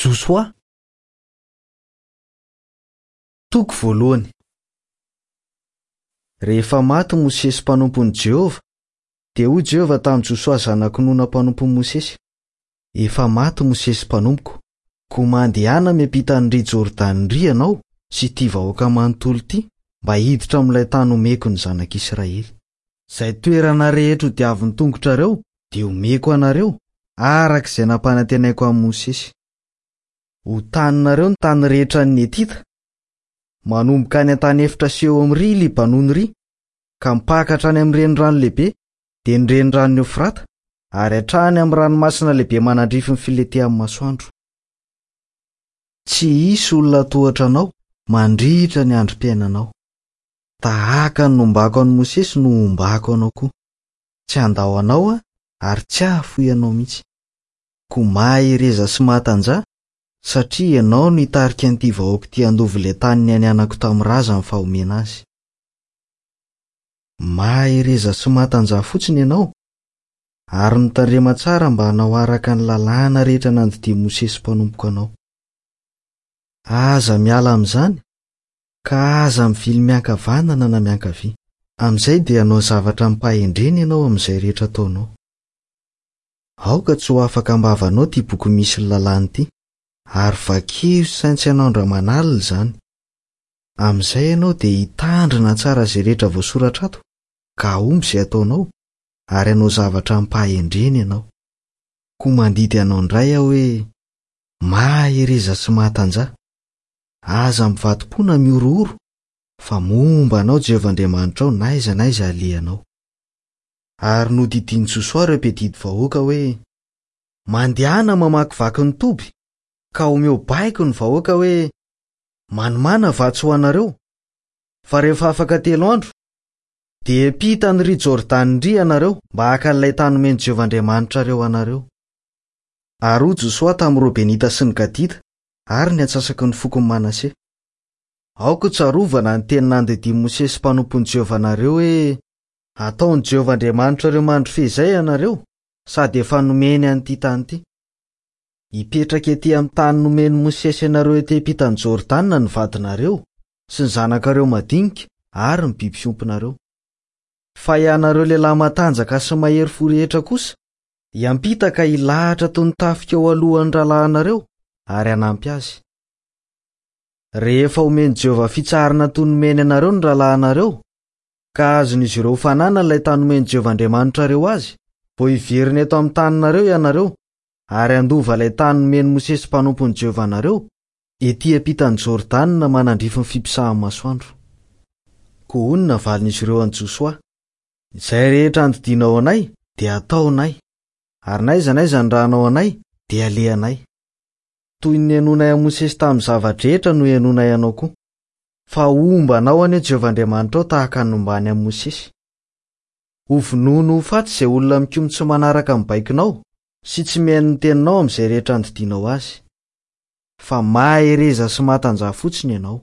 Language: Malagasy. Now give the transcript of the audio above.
Josoa Toko voalohany Rehefa maty Mosesy mpanompon'i Jehovah, dia hoy Jehovah tamin'i Josoa zanak'i Nona mpanompon'i Mosesy, Efa maty Mosesy mpanompoko, koa mandehana miampita an'i ry Jordana ry ianao sy ity vahoaka manontolo ity mba hiditra amin'ilay tany homeko ny zanak'Israely. Izay toerana rehetra hodiavin'ny tongotrareo dia homeko anareo, araka izay nampanantenaiko an'i Mosesy. Ho taninareo ny tany rehetra an'ny Hetita, manomboka any an-tany efitra sy eo amin'ny ry Libanona ry, ka mipaka hatrany amin'ny renirano lehibe, dia ny reniranon'i Eofrata, ary hatrany amin'ny ranomasina lehibe manandrify ny filentehan'ny masoandro. Tsy hisy olona hatohatra anao mandritra ny androm-piainanao. Tahaka ny nombako an'i Mosesy no hombako anao koa. Tsy handao anao aho ary tsy hahafoy anao mihitsy. Koa mahereza sy mahatanjaha, satria ianao no hitarika an'ity vahoaka ity handova ilay tany nianianako tamin'ny razany fa homena azy. Mahereza sy mahatanjaha fotsiny ianao, ary mitandrema tsara mba hanao araka ny lalàna rehetra nandidian'i Mosesy mpanompoko anao. Aza miala amin'izany, Ka aza mivily miankavanana na miankavia. Amin'izay dia hanao zavatra amim-pahendrena ianao amin'izay rehetra ataonao. Aoka tsy ho afaka am-bavanao ity boky misy ny lalàna ity, ary vakio sy saintsaino andro aman'alina izany. Amin'izay ianao dia hitandrina tsara izay rehetra voasoratra ato, ka hahomby izay ataonao, ary hanao zavatra amim-pahendrena ianao. Koa mandidy anao indray aho hoe, Mahereza sy mahatanjaha. Aza mivadi-po na mihorohoro, fa momba anao Jehovah Andriamanitrao n'aiza n'aiza alehanao. Ary nodidian'i Josoa ireo mpiadidy vahoaka hoe, Mandehana mamakivaky ny toby, ka omeo baiko ny vahoaka hoe, Manomàna vatsy ho anareo, fa rehefa afaka telo andro, dia hiampita an'i ry Jordana indry ianareo mba haka an'ilay tany omen'i Jehovah Andriamanitrareo anareo. Ary hoy Josoa tamin'ny Robenita sy ny Gadita, ary ny antsasaky ny fokon'i Manase. Aoka ho tsarovana ny teny nandidian'i Mosesy mpanompon'i Jehovah anareo hoe, 'Hataon'i Jehovah Andriamanitrareo mandry feizay ianareo, sady efa nomeny an'ity tany ity. Hipetraka etỳ amin'ny tany nomen'i Mosesy anareo etỳ ampitan'i Jordana ny vadinareo, sy ny zanakareo madinika, ary ny biby fiompinareo. Fa ianareo lehilahy matanjaka sy mahery fo rehetra kosa, Hiampita ka hilahatra toy ny tafika eo alohan'ny rahalahinareo ary hanampy azy. Rehefa omen'i Jehovah fitsaharana toy ny nomeny anareo ny rahalahinareo, ka azon'izy ireo ho fananana ilay tany omen'i Jehovah Andriamanitrareo azy, vao hiverina eto amin'ny taninareo ianareo, ary handova ilay tany nomen'i Mosesy mpanompon'i Jehovah anareo, etỳ ampitan'i Jordana manandrify ny fipisahan'ny masoandro. Koa hoy ny navalin'izy ireo an'i Josoa, Izay rehetra andidianao anay dia ataonay, ary n'aiza n'aiza anirahanao anay dia alehanay. Toy ny nihainoanay an'i Mosesy tamin'ny zava-drehetra no hihainoanay anao koa. Fa homba anao anie Jehovah Andriamanitrao tahaka ny nombany an'i Mosesy. Hovonoiny ho faty izay olona mikomy tsy manaraka ny baikonao sy tsy mihaino ny teninao amin'izay rehetra andidianao azy. Fa mahereza sy matanjaha fotsiny ianao.